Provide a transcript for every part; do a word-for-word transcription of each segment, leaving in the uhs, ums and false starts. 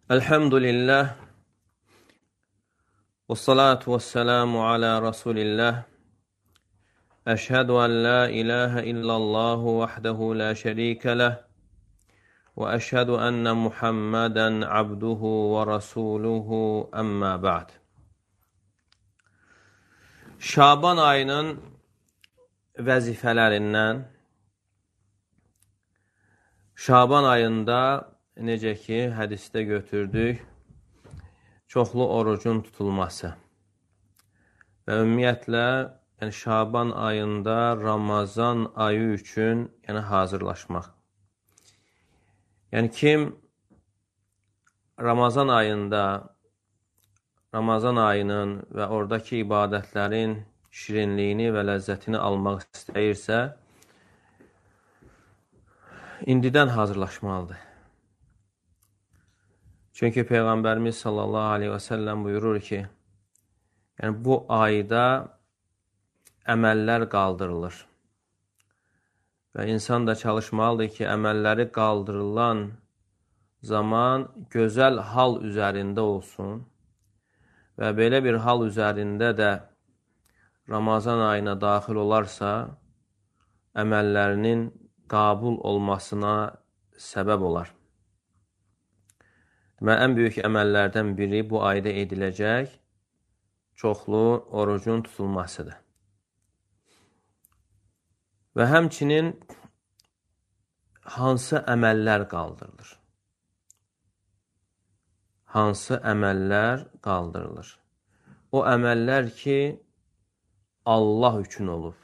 Elhamdülillah və salatu və selamu alə Rasulillah. Əşhədu ən la ilahə illallahu vəhdəhu la şərikə ləh və əşhədu ənnə Muhammədən abduhu və rasuluhu əmmə ba'd. Şaban ayının vəzifələrindən Şaban ayında necə ki, hədisdə götürdük, çoxlu orucun tutulması və ümumiyyətlə yəni Şaban ayında Ramazan ayı üçün yəni hazırlaşmaq. Yəni kim Ramazan ayında, Ramazan ayının və oradakı ibadətlərin şirinliyini və ləzzətini almaq istəyirsə, indidən hazırlaşmalıdır. Çünki Peyğəmbərimiz sallallahu aleyhi və səlləm buyurur ki, yəni bu ayda əməllər qaldırılır. Və insan da çalışmalıdır ki, əməlləri qaldırılan zaman gözəl hal üzərində olsun və belə bir hal üzərində də Ramazan ayına daxil olarsa, əməllərinin qəbul olmasına səbəb olar. Deməli, ən böyük əməllərdən biri bu ayda ediləcək çoxlu orucun tutulmasıdır. Və həmçinin hansı əməllər qaldırılır? Hansı əməllər qaldırılır? O əməllər ki, Allah üçün olub,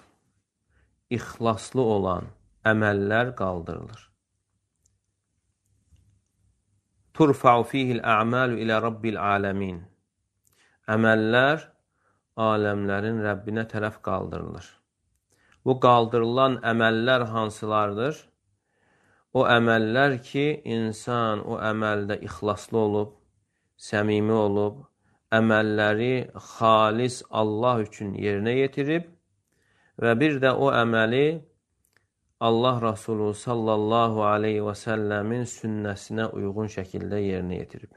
ixlaslı olan əməllər qaldırılır. Turfa'u fihil a'malu ilə rabbil aləmin. Əməllər aləmlərin Rəbbinə tərəf qaldırılır. Bu qaldırılan əməllər hansılardır? O əməllər ki, insan o əməldə ixlaslı olub, səmimi olub, əməlləri xalis Allah üçün yerinə yetirib və bir də o əməli Allah Rasulü sallallahu aleyhi və səlləmin sünnəsinə uyğun şəkildə yerinə yetirib.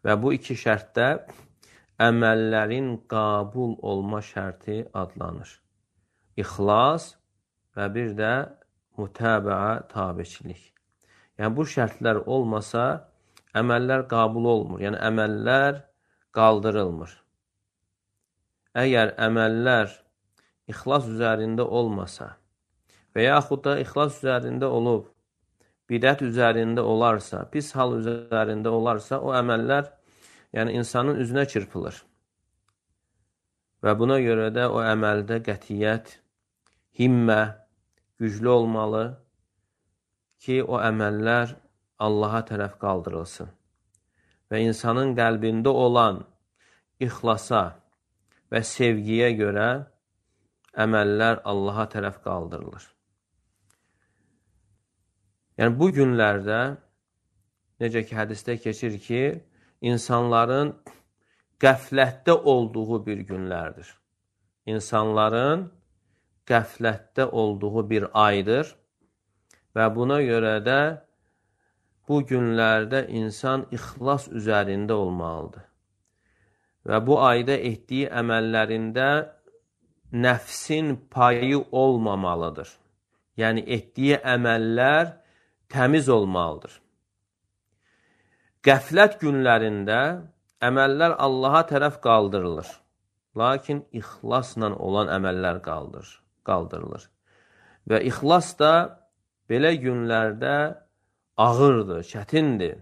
Və bu iki şərtdə əməllərin qəbul olma şərti adlanır. İxlas və bir də mütəbəə tabiçilik. Yəni bu şərtlər olmasa, əməllər qəbul olmur. Yəni əməllər qaldırılmır. Əgər əməllər ixlas üzərində olmasa, və yaxud da ixlas üzərində olub, bidət üzərində olarsa, pis hal üzərində olarsa, o əməllər yəni insanın üzünə çırpılır. Və buna görə də o əməldə qətiyyət, himmə güclü olmalı ki, o əməllər Allaha tərəf qaldırılsın. Və insanın qəlbində olan ixlasa və sevgiyə görə əməllər Allaha tərəf qaldırılır. Yəni, bu günlərdə, necə ki, hədisdə keçir ki, insanların qəflətdə olduğu bir günlərdir. İnsanların qəflətdə olduğu bir aydır və buna görə də bu günlərdə insan ixlas üzərində olmalıdır. Və bu ayda etdiyi əməllərində nəfsin payı olmamalıdır. Yəni, etdiyi əməllər təmiz olmalıdır. Qəflət günlərində əməllər Allaha tərəf qaldırılır. Lakin ixlasla olan əməllər qaldır, qaldırılır. Və ixlas da belə günlərdə ağırdır, çətindir.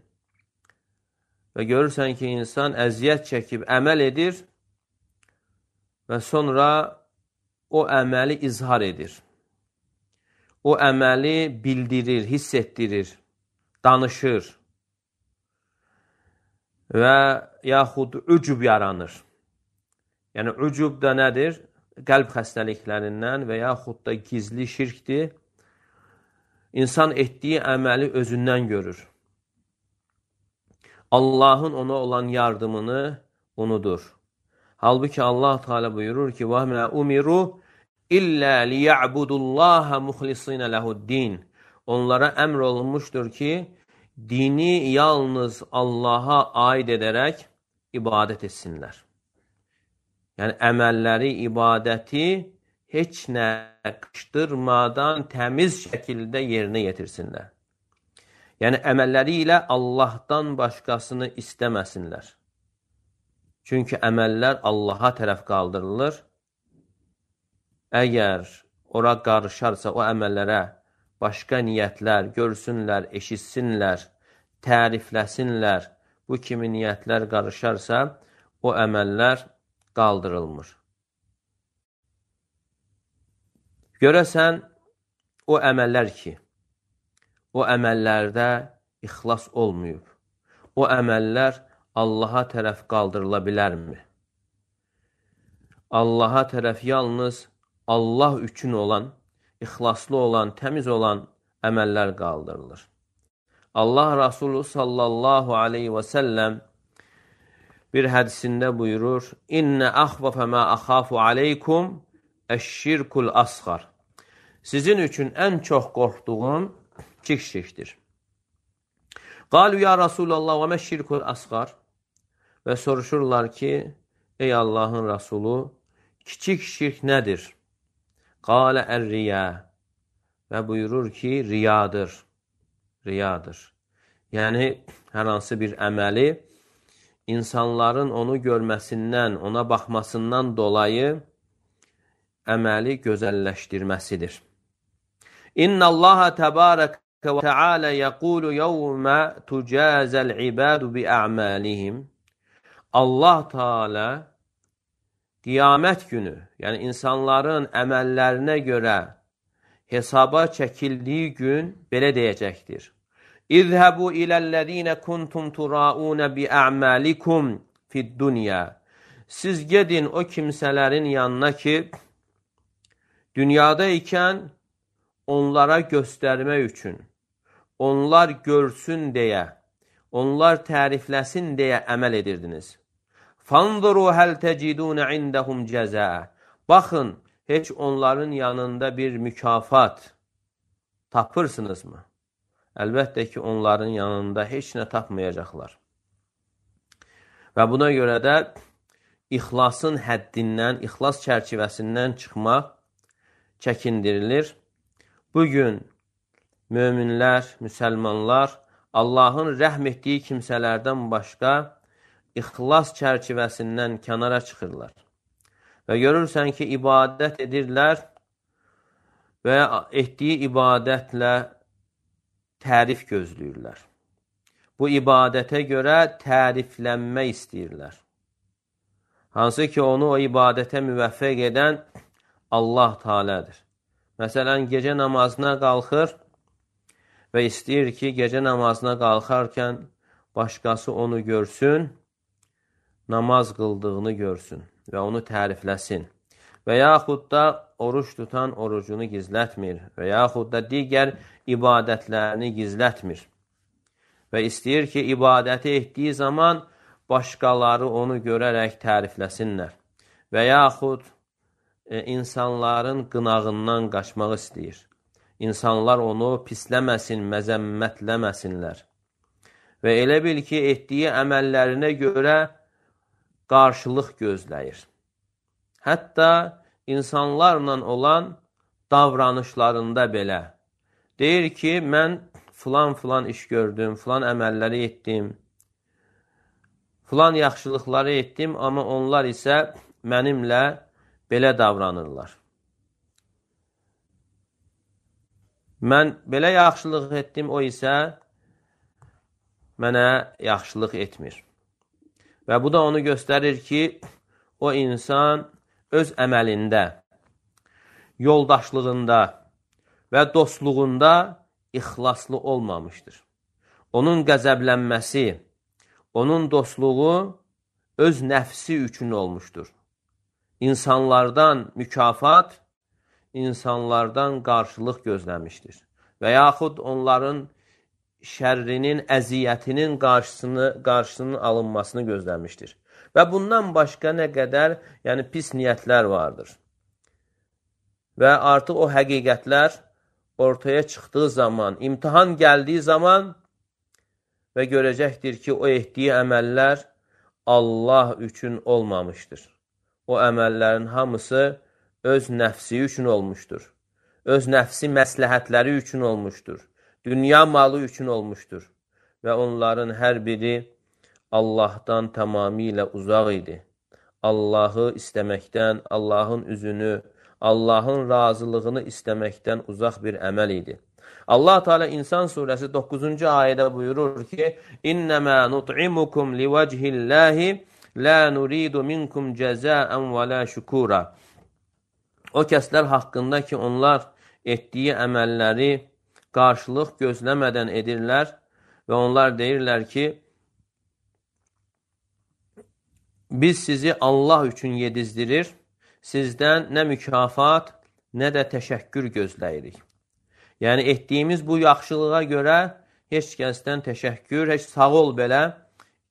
Və görürsən ki, insan əziyyət çəkib əməl edir və sonra o əməli izhar edir. O əməli bildirir, hiss etdirir, danışır və yaxud ücub yaranır. Yəni, ücub da nədir? Qəlb xəstəliklərindən və yaxud da gizli şirkdir. İnsan etdiyi əməli özündən görür. Allahın ona olan yardımını unudur. Halbuki Allah Teala buyurur ki, وَهْمَا أُمِرُوا İllə liya'budullaha muxlisinə lehuddin. Onlara əmr olunmuşdur ki, dini yalnız Allaha aid edərək ibadət etsinlər. Yəni, əməlləri, ibadəti heç nə qışdırmadan təmiz şəkildə yerinə yetirsinlər. Yəni, əməlləri ilə Allahdan başqasını istəməsinlər. Çünki əməllər Allaha tərəf qaldırılır. Əgər ora qarışarsa o əməllərə başqa niyyətlər görsünlər, eşitsinlər, tərifləsinlər, bu kimi niyyətlər qarışarsa, o əməllər qaldırılmır. Görəsən, o əməllər ki, o əməllərdə ixlas olmayıb, o əməllər Allaha tərəf qaldırıla bilərmi? Allaha tərəf yalnız Allah üçün olan, ixlaslı olan, təmiz olan əməllər qaldırılır. Allah Rasulü sallallahu aleyhi və səlləm bir hədisində buyurur, İnnə əxvafə mə əxafu aleykum əşşirkul asğar. Sizin üçün ən çox qorxduğum kiçik şirkdir. Qalu ya Rasulallah və məşşirkul asğar. Və soruşurlar ki, ey Allahın Rasulü, kiçik şirk nədir? Qalə ər-riya. Və buyurur ki, riyadır. Riyadır. Yəni, hər hansı bir əməli insanların onu görməsindən, ona baxmasından dolayı əməli gözəlləşdirməsidir. İnna Allaha təbarəkə və təalə yəqulu yevmə tucazəl ibadu bi a'malihim. Allah Teala qiyamət günü, yəni insanların əməllərinə görə hesaba çəkildiyi gün belə deyəcəkdir. İzhəbu iləl-ləzīnə kuntum turaunə bi a'malikum fid-dunya. Siz gedin o kimsələrin yanına ki, dünyada ikən onlara göstərmək üçün, onlar görsün deyə, onlar tərifləsin deyə əməl edirdiniz. Fanzuru həl təcidunə indəhum cəzə. Baxın, heç onların yanında bir mükafat tapırsınızmı? Əlbəttə ki, onların yanında heç nə tapmayacaqlar. Və buna görə də ixlasın həddindən, ixlas çərçivəsindən çıxmaq çəkindirilir. Bugün möminlər, müsəlmanlar Allahın rəhm etdiyi kimsələrdən başqa ixlas çərçivəsindən kənara çıxırlar. Və görürsən ki, ibadət edirlər və etdiyi ibadətlə tərif gözləyirlər. Bu ibadətə görə təriflənmək istəyirlər. Hansı ki, onu o ibadətə müvəffəq edən Allah Teala'dır. Məsələn, gecə namazına qalxır və istəyir ki, gecə namazına qalxarkən başqası onu görsün, namaz qıldığını görsün və onu tərifləsin. Və yaxud da oruç tutan orucunu gizlətmir və yaxud da digər ibadətlərini gizlətmir. Və istəyir ki, ibadəti etdiyi zaman başqaları onu görərək tərifləsinlər. Və yaxud e, insanların qınağından qaçmaq istəyir. İnsanlar onu pisləməsin, məzəmmətləməsinlər. Və elə bil ki, etdiyi əməllərinə görə qarşılıq gözləyir. Hətta insanlarla olan davranışlarında belə. Deyir ki, mən filan-filan iş gördüm, filan əməlləri etdim, filan yaxşılıqları etdim, amma onlar isə mənimlə belə davranırlar. Mən belə yaxşılıq etdim, o isə mənə yaxşılıq etmir. Və bu da onu göstərir ki, o insan öz əməlində, yoldaşlığında və dostluğunda ixlaslı olmamışdır. Onun qəzəblənməsi, onun dostluğu öz nəfsi üçün olmuşdur. İnsanlardan mükafat, insanlardan qarşılıq gözləmişdir. Və yaxud onların şərrinin, əziyyətinin qarşısını, qarşısının alınmasını gözləmişdir. Və bundan başqa nə qədər yəni pis niyyətlər vardır. Və artıq o həqiqətlər ortaya çıxdığı zaman, imtihan gəldiyi zaman və görəcəkdir ki, o etdiyi əməllər Allah üçün olmamışdır. O əməllərin hamısı öz nəfsi üçün olmuşdur. Öz nəfsi məsləhətləri üçün olmuşdur. Dünya malı üçün olmuşdur. Və onların hər biri Allahdan tamamilə uzaq idi. Allahı istəməkdən, Allahın üzünü, Allahın razılığını istəməkdən uzaq bir əməl idi. Allah Teala İnsan surəsi doqquzuncu ayədə buyurur ki: "İnnemâ nut'imukum livecihillahi la nuridu minkum cezâen ve la şukura." O kəslər haqqında ki, onlar etdiyi əməlləri qarşılıq gözləmədən edirlər və onlar deyirlər ki, biz sizi Allah üçün yedizdirir, sizdən nə mükafat, nə də təşəkkür gözləyirik. Yəni, etdiyimiz bu yaxşılığa görə heç kəsdən təşəkkür, heç sağ ol belə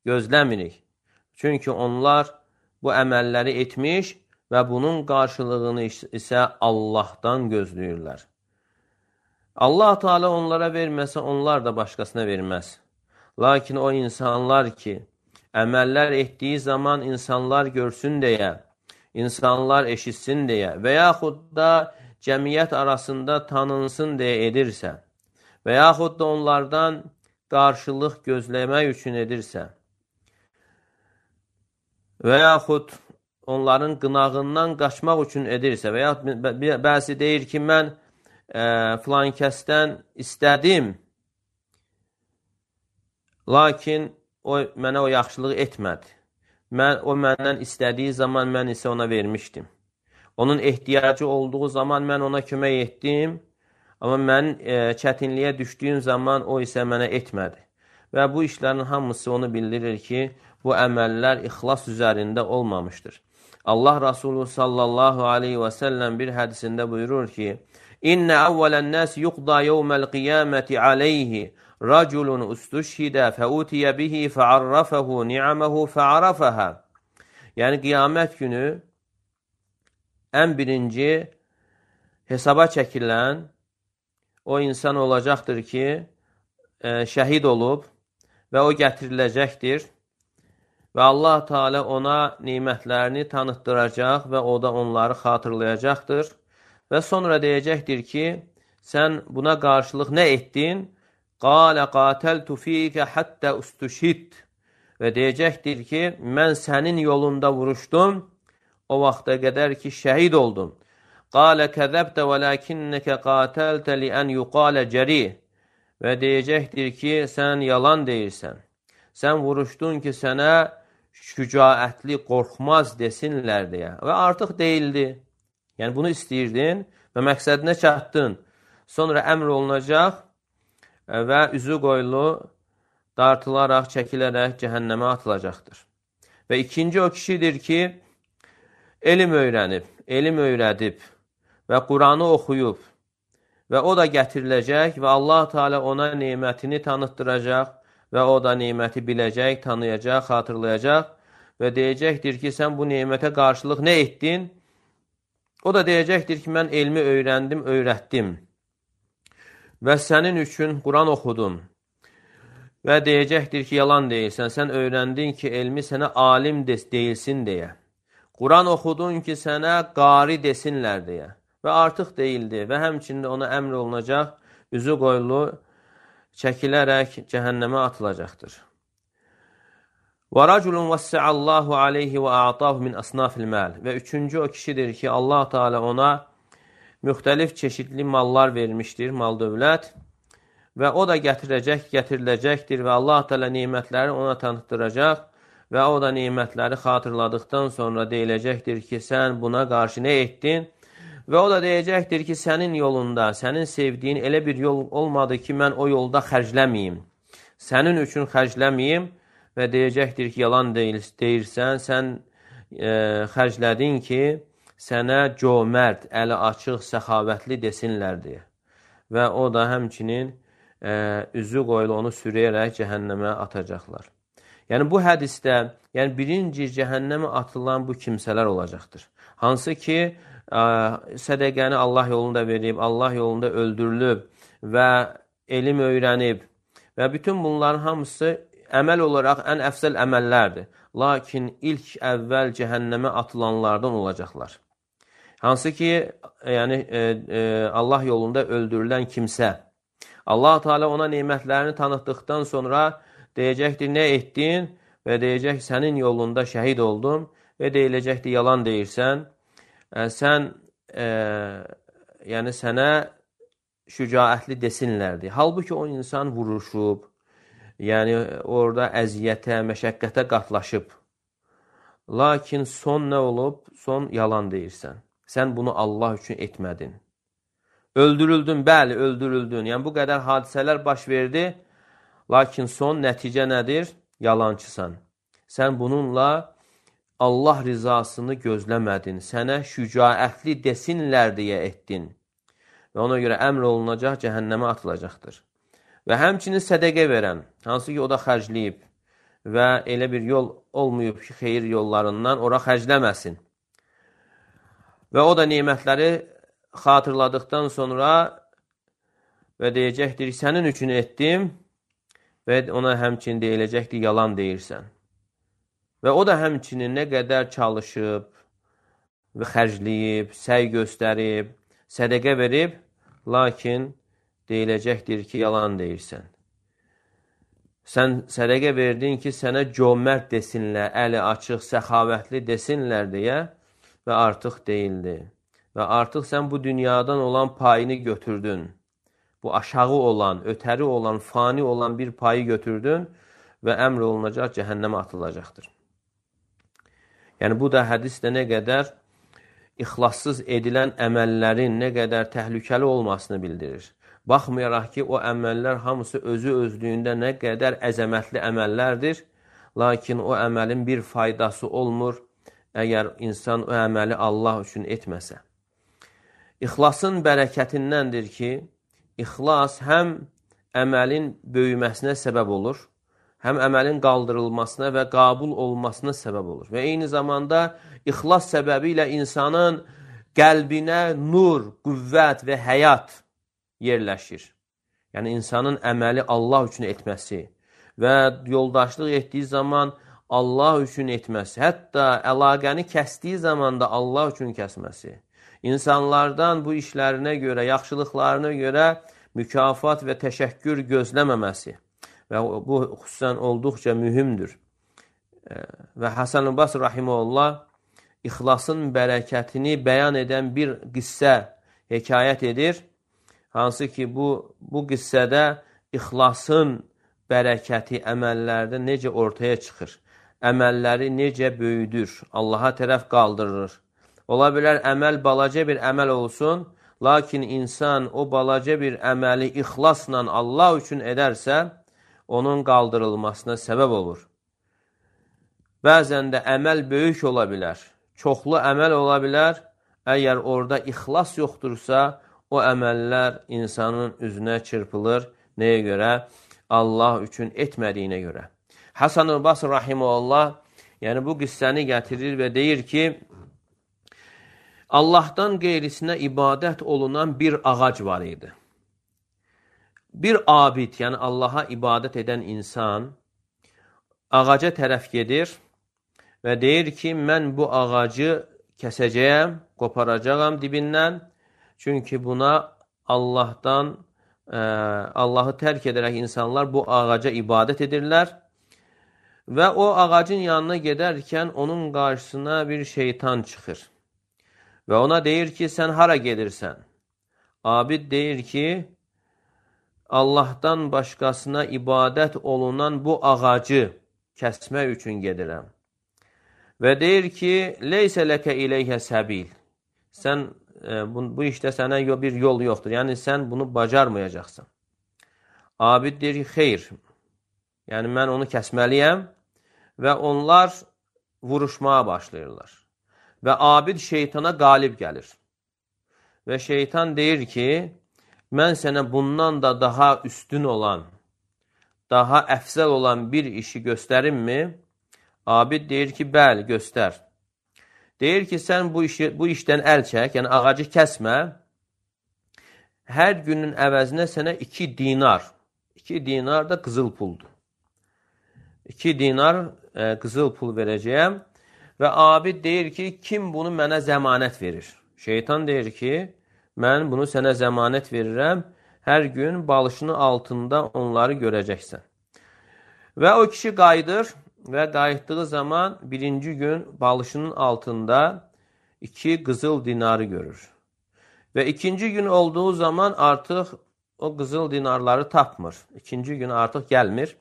gözləmirik. Çünki onlar bu əməlləri etmiş və bunun qarşılığını isə Allahdan gözləyirlər. Allah Teala onlara verməsə, onlar da başqasına verməz. Lakin o insanlar ki, əməllər etdiyi zaman insanlar görsün deyə, insanlar eşitsin deyə və yaxud da cəmiyyət arasında tanınsın deyə edirsə və yaxud da onlardan qarşılıq gözləmək üçün edirsə və yaxud onların qınağından qaçmaq üçün edirsə və yaxud bəzi deyir ki, mən ə, filan kəsdən istədim, lakin o mənə o yaxşılığı etmədi. Mən, o məndən istədiyi zaman mən isə ona vermişdim. Onun ehtiyacı olduğu zaman mən ona kömək etdim, amma mən e, çətinliyə düşdüyüm zaman o isə mənə etmədi. Və bu işlərin hamısı onu bildirir ki, bu əməllər ixlas üzərində olmamışdır. Allah Resulü sallallahu aleyhi və səlləm bir hədisində buyurur ki, İnnə əvvələn nəs yuqda yevməl qiyaməti aleyhi raculun ustuşhidə fəutiyə bihi fəarrafəhu ni'aməhu fəarrafəhə. Yəni, qiyamət günü ən birinci hesaba çəkilən o insan olacaqdır ki, e, şəhid olub və o gətiriləcəkdir və Allah Teala ona nimətlərini tanıtdıracaq və o da onları xatırlayacaqdır və sonra deyəcəkdir ki, sən buna qarşılıq nə etdin? Qalə qatəltu fiyikə həttə ustuşhid və deyəcəkdir ki, mən sənin yolunda vuruşdum, o vaxta qədər ki, şəhid oldum. Qalə kəzəbdə və ləkinnəkə qatəltə liən yuqalə cəri və deyəcəkdir ki, sən yalan deyirsən. Sən vuruşdun ki, sənə şücaətli, qorxmaz desinlər deyə və artıq deyildi. Yəni, bunu istəyirdin və məqsədinə çatdın. Sonra əmr olunacaq və üzü qoyulu dartılaraq, çəkilərək cəhənnəmə atılacaqdır. Və ikinci o kişidir ki, elm öyrənib, elm öyrədib və Quranı oxuyub və o da gətiriləcək və Allah Teala ona nemətini tanıtdıracaq və o da neməti biləcək, tanıyacaq, xatırlayacaq və deyəcəkdir ki, sən bu nemətə qarşılıq nə etdin? O da deyəcəkdir ki, mən elmi öyrəndim, öyrətdim və sənin üçün Quran oxudum və deyəcəkdir ki, yalan deyilsən, sən öyrəndin ki, elmi sənə alim deyilsin deyə. Quran oxudun ki, sənə qari desinlər deyə və artıq deyildi və həmçində ona əmr olunacaq, üzü qoyulu çəkilərək cəhənnəmə atılacaqdır. Və raculun vəssəallahu aleyhi və a'tahu min asnafil məl və üçüncü o kişidir ki, Allah Teala ona müxtəlif çeşidli mallar vermişdir, mal dövlət və o da gətirəcək, gətiriləcəkdir və Allah Teala nemətləri ona tanıtdıracaq və o da nemətləri xatırladıqdan sonra deyiləcəkdir ki, sən buna qarşı nə etdin? Və o da deyəcəkdir ki, sənin yolunda, sənin sevdiyin elə bir yol olmadı ki, mən o yolda xərcləməyim. Sənin üçün xərcləməyim və deyəcəkdir ki, yalan deyil, deyirsən, sən e, xərclədin ki, sənə cömərd, əli açıq, səxavətli desinlər deyə. Və o da həmçinin e, üzü qoyulu onu sürəyərək cəhənnəmə atacaqlar. Yəni, bu hədisdə yəni, birinci cəhənnəmə atılan bu kimsələr olacaqdır. Hansı ki, ə, sədəqəni Allah yolunda verib, Allah yolunda öldürülüb və elm öyrənib Və bütün bunların hamısı əməl olaraq ən əfsəl əməllərdir. Lakin ilk əvvəl cəhənnəmə atılanlardan olacaqlar. Hansı ki, yəni e, e, Allah yolunda öldürülən kimsə, Allah Teala ona nemətlərini tanıtdıqdan sonra deyəcəkdir, nə etdin? Və deyəcək, sənin yolunda şəhid oldum və deyiləcəkdir, yalan deyirsən. E, sən, e, yəni sənə şücaətli desinlərdir. Halbuki o insan vuruşub, yəni orada əziyyətə, məşəqqətə qatlaşıb. Lakin son nə olub? Son yalan deyirsən. Sən bunu Allah üçün etmədin. Öldürüldün, bəli, öldürüldün. Yəni, bu qədər hadisələr baş verdi. Lakin son nəticə nədir? Yalancısan. Sən bununla Allah rizasını gözləmədin. Sənə şücaətli desinlər deyə etdin. Və ona görə əmr olunacaq, cəhənnəmə atılacaqdır. Və həmçinin sədəqə verən, hansı ki, o da xərcləyib və elə bir yol olmayıb ki, xeyir yollarından ora xərcləməsin. Və o da nemətləri xatırladıqdan sonra və deyəcəkdir, sənin üçün etdim və ona həmçinin deyiləcəkdir, yalan deyirsən. Və o da həmçinin nə qədər çalışıb və xərcləyib, səy göstərib, sədəqə verib, lakin deyiləcəkdir ki, yalan deyirsən. Sən sədəqə verdin ki, sənə cömərd desinlər, əli açıq, səxavətli desinlər deyə və artıq deyildi. Və artıq sən bu dünyadan olan payını götürdün. Bu aşağı olan, ötəri olan, fani olan bir payı götürdün və əmr olunacaq, cəhənnəmə atılacaqdır. Yəni, bu da hədisdə nə qədər ixlassız edilən əməllərin nə qədər təhlükəli olmasını bildirir. Baxmayaraq ki, o əməllər hamısı özü özlüyündə nə qədər əzəmətli əməllərdir, lakin o əməlin bir faydası olmur, əgər insan o əməli Allah üçün etməsə. İxlasın bərəkətindəndir ki, ixlas həm əməlin böyüməsinə səbəb olur, həm əməlin qaldırılmasına və qabul olmasına səbəb olur. Və eyni zamanda ixlas səbəbi ilə insanın qəlbinə nur, qüvvət və həyat yerləşir. Yəni, insanın əməli Allah üçün etməsi və yoldaşlıq etdiyi zaman Allah üçün etməsi, hətta əlaqəni kəsdiyi zaman da Allah üçün kəsməsi, İnsanlardan bu işlərinə görə, yaxşılıqlarına görə mükafat və təşəkkür gözləməməsi və bu xüsusən olduqca mühümdür. Və Həsən-ül Basri rahimehullah ixlasın bərəkətini bəyan edən bir qissə hekayət edir. Hansı ki, bu, bu qissədə ixlasın bərəkəti əməllərdə necə ortaya çıxır, əməlləri necə böyüdür, Allaha tərəf qaldırır. Ola bilər, əməl balaca bir əməl olsun, lakin insan o balaca bir əməli ixlasla Allah üçün edərsə, onun qaldırılmasına səbəb olur. Bəzən də əməl böyük ola bilər, çoxlu əməl ola bilər, əgər orada ixlas yoxdursa, o əməllər insanın üzünə çırpılır. Nəyə görə? Allah üçün etmədiyinə görə. Həsən-ül Basri rahimehullah, yəni bu qissəni gətirir və deyir ki, Allahdan qeyrisinə ibadət olunan bir ağac var idi. Bir abid, yəni Allaha ibadət edən insan ağaca tərəf gedir və deyir ki, mən bu ağacı kəsəcəyəm, qoparacağam dibindən. Çünki buna Allahdan, ə, Allahı tərk edərək insanlar bu ağaca ibadət edirlər. Və o ağacın yanına gedərkən onun qarşısına bir şeytan çıxır. Və ona deyir ki, sən hara gedirsən? Abid deyir ki, Allahdan başqasına ibadət olunan bu ağacı kəsmək üçün gedirəm. Və deyir ki, leysə ləkə iləyhə səbil. Sən, e, bu, bu işdə sənə bir yol yoxdur. Yəni, sən bunu bacarmayacaqsan. Abid deyir ki, xeyr. Yəni, mən onu kəsməliyəm və onlar vuruşmağa başlayırlar. Və abid şeytana qalib gəlir. Və şeytan deyir ki, mən sənə bundan da daha üstün olan, daha əfzəl olan bir işi göstərimmi? Abid deyir ki, bəli, göstər. Deyir ki, sən bu, işi, bu işdən əl çək, yəni ağacı kəsmə, hər günün əvəzinə sənə iki dinar, iki dinar da qızıl puldur. iki dinar e, qızıl pul verəcəyəm və abid deyir ki, kim bunu mənə zəmanət verir? Şeytan deyir ki, mən bunu sənə zəmanət verirəm, hər gün balışının altında onları görəcəksən. Və o kişi qayıdır və qayıtdığı zaman birinci gün balışının altında iki qızıl dinarı görür. Və ikinci gün olduğu zaman artıq o qızıl dinarları tapmır. İkinci gün artıq gəlmir.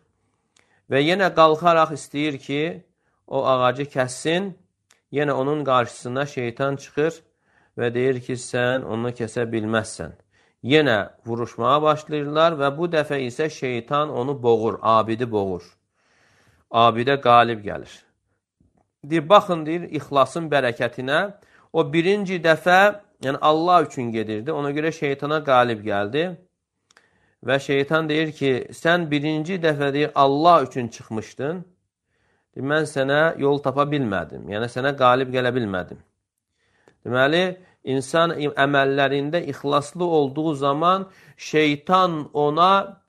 Və yenə qalxaraq istəyir ki, o ağacı kəssin. Yenə onun qarşısına şeytan çıxır və deyir ki, sən onu kəsə bilməzsən. Yenə vuruşmağa başlayırlar və bu dəfə isə şeytan onu boğur, abidi boğur. Abidə qalib gəlir. Deyir, baxın, deyir, ixlasın bərəkətinə. O birinci dəfə, yəni Allah üçün gedirdi. Ona görə şeytana qalib gəldi. Və şeytan deyir ki, sən birinci dəfə deyir, Allah üçün çıxmışdın. Deyir, mən sənə yol tapa bilmədim. Yəni, sənə qalib gələ bilmədim. Deməli, insan əməllərində ixlaslı olduğu zaman şeytan ona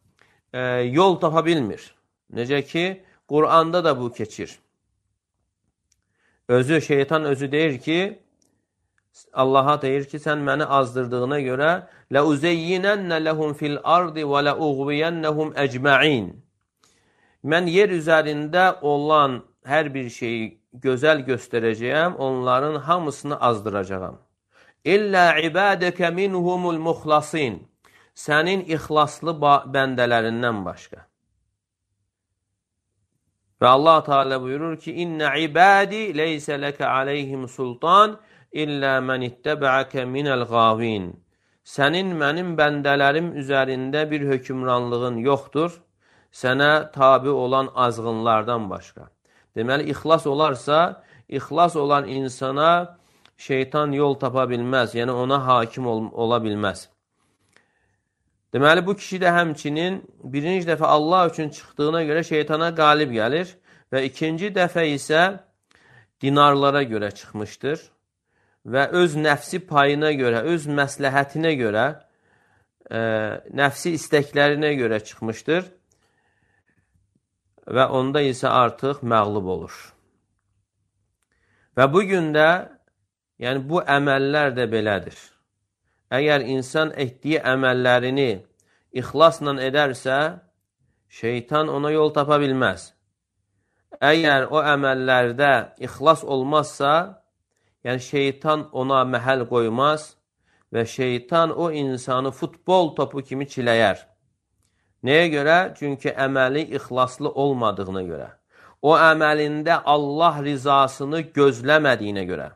e, yol tapa bilmir. Necə ki, Qur'anda da bu keçir. Özü, şeytan özü deyir ki, Allaha deyir ki, sən məni azdırdığına görə لَاُزَيِّنَنَّ لَهُمْ فِي الْأَرْضِ وَلَاُغْوِيَنَّهُمْ اَجْمَعِينَ Mən yer üzərində olan hər bir şeyi gözəl göstərəcəyəm, onların hamısını azdıracağam. İllə ibadəkə minhumul muxlasin Sənin ixlaslı bəndələrindən başqa. Və Allah Teala buyurur ki, İnnə ibadi leysə ləkə aleyhim sultan illə mən ittəbəəkə minəl qavin. Sənin mənim bəndələrim üzərində bir hökümranlığın yoxdur, sənə tabi olan azğınlardan başqa. Deməli, ixlas olarsa, ixlas olan insana şeytan yol tapa bilməz, yəni ona hakim ol ola bilməz. Deməli, bu kişi də həmçinin birinci dəfə Allah üçün çıxdığına görə şeytana qalib gəlir və ikinci dəfə isə dinarlara görə çıxmışdır və öz nəfsi payına görə, öz məsləhətinə görə, e, nəfsi istəklərinə görə çıxmışdır və onda isə artıq məğlub olur. Və bugün də, yəni bu əməllər də belədir. Əgər insan etdiyi əməllərini ixlasla edərsə, şeytan ona yol tapa bilməz. Əgər o əməllərdə ixlas olmazsa, yəni şeytan ona məhəl qoymaz və şeytan o insanı futbol topu kimi çiləyər. Nəyə görə? Çünki əməli ixlaslı olmadığına görə. O əməlində Allah rizasını gözləmədiyinə görə.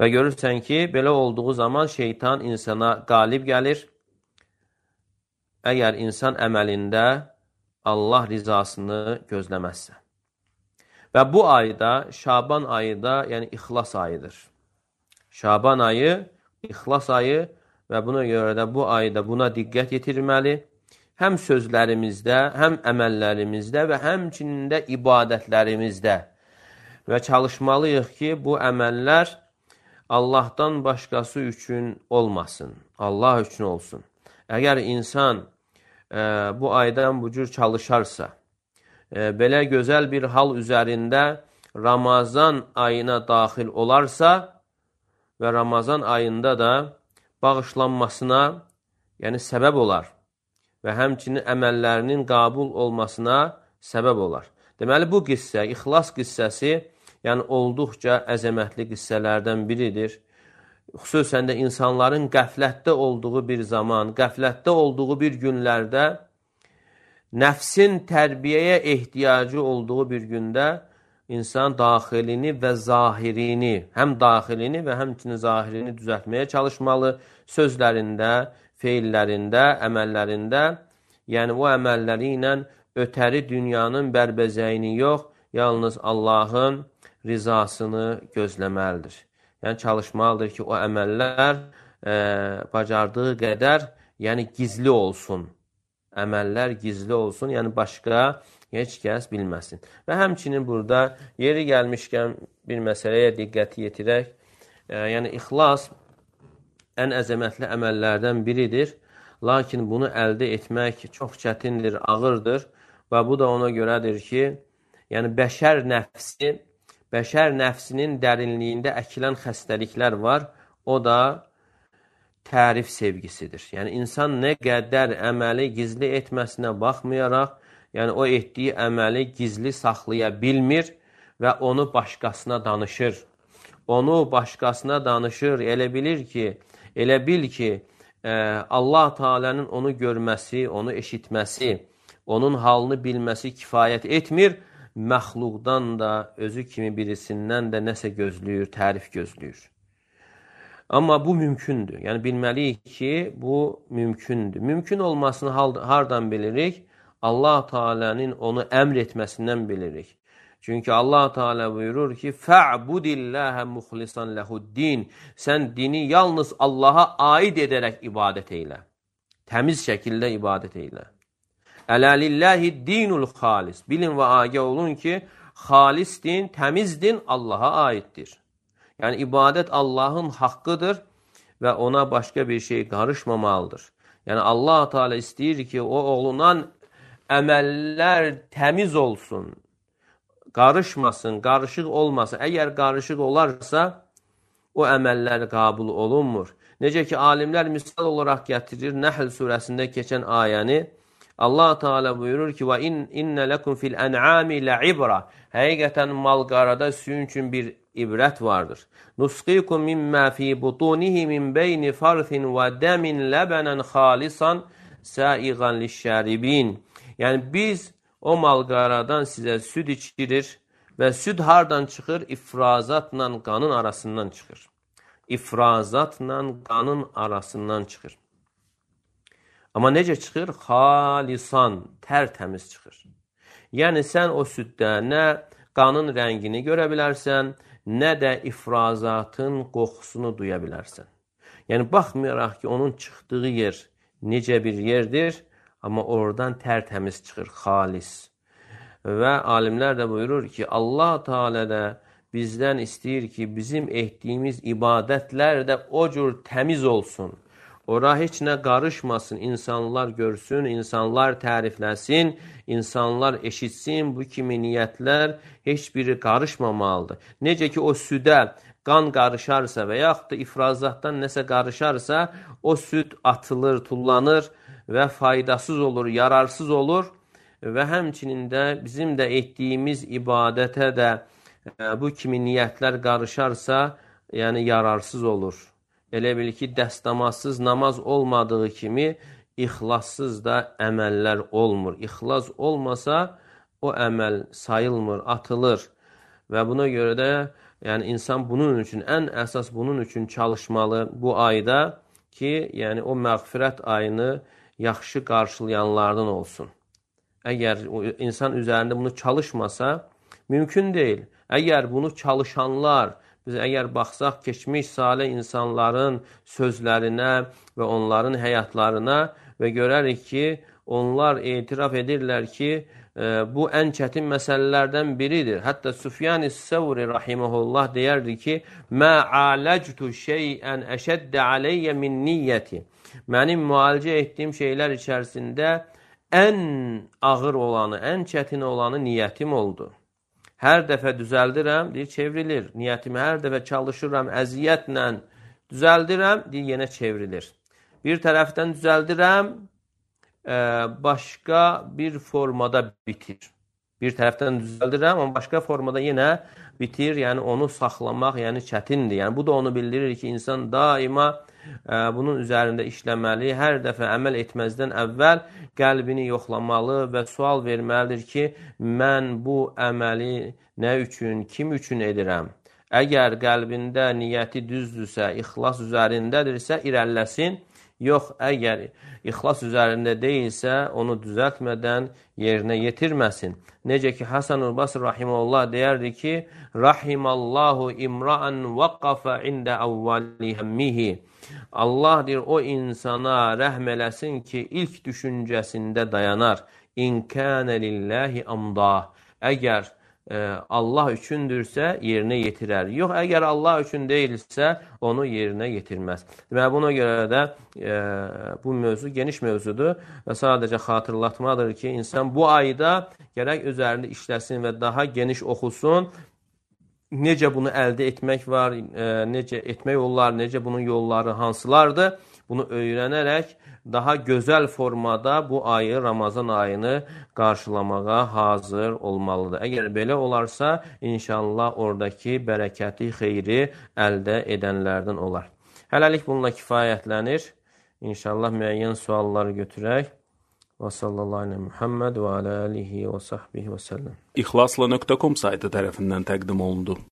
Və görürsən ki, belə olduğu zaman şeytan insana qalib gəlir. Əgər insan əməlində Allah rizasını gözləməzsə. Və bu ayda, Şaban ayı da, yəni ixlas ayıdır. Şaban ayı, ixlas ayı və buna görə də bu ayda buna diqqət yetirməli. Həm sözlərimizdə, həm əməllərimizdə və həmçinin də ibadətlərimizdə. Və çalışmalıyıq ki, bu əməllər Allahdan başqası üçün olmasın, Allah üçün olsun. Əgər insan e, bu aydan bu cür çalışarsa, e, belə gözəl bir hal üzərində Ramazan ayına daxil olarsa və Ramazan ayında da bağışlanmasına, yəni səbəb olar və həmçinin əməllərinin qəbul olmasına səbəb olar. Deməli, bu qissə, ixlas qissəsi, yəni olduqca əzəmətli qissələrdən biridir. Xüsusən də insanların qəflətdə olduğu bir zaman, qəflətdə olduğu bir günlərdə, nəfsin tərbiyəyə ehtiyacı olduğu bir gündə insan daxilini və zahirini, həm daxilini və həmçinin zahirini düzəltməyə çalışmalı, sözlərində, feillərində, əməllərində, yəni o əməlləri ilə ötəri dünyanın bərbəzəyini yox, yalnız Allahın rizasını gözləməlidir. Yəni çalışmalıdır ki, o əməllər e, bacardığı qədər, yəni gizli olsun. Əməllər gizli olsun, yəni başqa heç kəs bilməsin. Və həmçinin burada yeri gəlmişkən bir məsələyə diqqəti yetirək, e, yəni ixlas ən əzəmətli əməllərdən biridir. Lakin bunu əldə etmək çox çətindir, ağırdır və bu da ona görədir ki, yəni bəşər nəfsi, bəşər nəfsinin dərinliyində əkilən xəstəliklər var. O da tərif sevgisidir. Yəni insan nə qədər əməli gizli etməsinə baxmayaraq, yəni o etdiyi əməli gizli saxlaya bilmir və onu başqasına danışır. Onu başqasına danışır, elə bilir ki, elə bil ki, Allah Teala'nın onu görməsi, onu eşitməsi, onun halını bilməsi kifayət etmir. Məxluqdan da, özü kimi birisindən də nəsə gözləyir, tərif gözləyir. Amma bu mümkündür. Yəni bilməliyik ki, bu mümkündür. Mümkün olmasını hardan bilirik? Allah Teala'nın onu əmr etməsindən bilirik. Çünki Allah Teala buyurur ki, "Fa'budillaha mukhlishan lehu'd-din." Sən dini yalnız Allah'a aid edərək ibadət eylə. Təmiz şəkildə ibadət eylə. Ələ lillahi-d-dinul xalis. Bilin və agah olun ki, xalis din, təmiz din Allah'a aiddir. Yəni ibadət Allahın haqqıdır və ona başqa bir şey qarışmamalıdır. Yəni Allah Teala istəyir ki, o olunan əməllər təmiz olsun. Qarışmasın, qarışıq olmasın. Əgər qarışıq olarsa, o əməllər qəbul olunmur. Necə ki, alimlər misal olaraq gətirir, Nəhl surəsində keçən ayəni, Allah Teala buyurur ki, "Və innə lekum fil en'ami la'ibra." Həqiqətən mal-qarada sizin üçün bir ibrət vardır. "Nusqikum mimma fi butunihi min beyni farthin və damin labanan khalisan sa'igan liş-şaribin." Yəni biz o mal-qaradan sizə süd içirir və süd hardan çıxır? İfrazatla qanın arasından çıxır. İfrazatla qanın arasından çıxır. Amma necə çıxır? Xalisan, tərtəmiz çıxır. Yəni sən o süddə nə qanın rəngini görə bilərsən, nə də ifrazatın qoxusunu duya bilərsən. Yəni baxmayaraq ki, onun çıxdığı yer necə bir yerdir, amma oradan tərtəmiz çıxır, xalis. Və alimlər də buyurur ki, Allah Teala da bizdən istəyir ki, bizim etdiyimiz ibadətlər də o cür təmiz olsun. Ora heç nə qarışmasın, insanlar görsün, insanlar tərifləsin, insanlar eşitsin, bu kimi niyyətlər heç biri qarışmamalıdır. Necə ki, o südə qan qarışarsa və yaxud da ifrazatdan nəsə qarışarsa, o süd atılır, tullanır və faydasız olur, yararsız olur və həmçinin də bizim də etdiyimiz ibadətə də e, bu kimi niyyətlər qarışarsa, yəni yararsız olur. Elə bil ki, dəstəmazsız namaz olmadığı kimi, ixlassız da əməllər olmur. İxlas olmasa, o əməl sayılmır, atılır. Və buna görə də yəni, insan bunun üçün, ən əsas bunun üçün çalışmalı bu ayda ki, yəni o məğfirət ayını yaxşı qarşılayanlardan olsun. Əgər insan üzərində bunu çalışmasa, mümkün deyil. Əgər bunu çalışanlar, biz əgər baxsaq keçmiş salih insanların sözlərinə və onların həyatlarına və görərik ki, onlar etiraf edirlər ki, e, bu ən çətin məsələlərdən biridir. Hətta Süfyan-ı Səvri rahiməhullah deyərdi ki, "Mə aləctu şeyən əşəddə aleyyə min niyyəti." Mənim müalicə etdiyim şeylər içərisində ən ağır olanı, ən çətin olanı niyyətim oldu. Hər dəfə düzəldirəm, deyir, çevrilir. Niyyətimi hər dəfə çalışıram, əziyyətlə düzəldirəm, deyir, yenə çevrilir. Bir tərəfdən düzəldirəm, e, başqa bir formada bitir. Bir tərəfdən düzəldirəm, amma başqa formada yenə bitir. Yəni onu saxlamaq yəni çətindir. Yəni bu da onu bildirir ki, insan daima e, bunun üzərində işləməli, hər dəfə əməl etməzdən əvvəl qəlbini yoxlamalı və sual verməlidir ki, mən bu əməli nə üçün, kim üçün edirəm? Əgər qəlbində niyyəti düzdürsə, ixlas üzərindədirsə, irəlləsin. Yox, əgər ixlas üzərində deyilsə, onu düzəltmədən yerinə yetirməsin. Necə ki, Hasan-ül Basr rahiməhullah deyərdi ki, Rahimallahu imra'an vaqafa ində əvvəli həmmihi. Allah deyir, o insana rəhm eləsin ki, ilk düşüncəsində dayanar. İn kənə lillahi amdah. Əgər Allah üçündürsə yerinə yetirər. Yox, əgər Allah üçün deyilsə, onu yerinə yetirməz. Deməli, buna görə də e, bu mövzu geniş mövzudur və sadəcə xatırlatmadır ki, insan bu ayda gərək üzərində işləsin və daha geniş oxusun. Necə bunu əldə etmək var, e, necə etmək yolları, necə bunun yolları hansılardır? Bunu öyrənərək daha gözəl formada bu ayı, Ramazan ayını qarşılamağa hazır olmalıdır. Əgər belə olarsa, inşallah oradakı bərəkəti, xeyri əldə edənlərdən olar. Hələlik bununla kifayətlənir. İnşallah müəyyən sualları götürək. Və sallallahu aleyhi Muhammed və alə alihi və sahbihi və səlləm. İxlasla nöqtə com saytı tərəfindən təqdim olundu.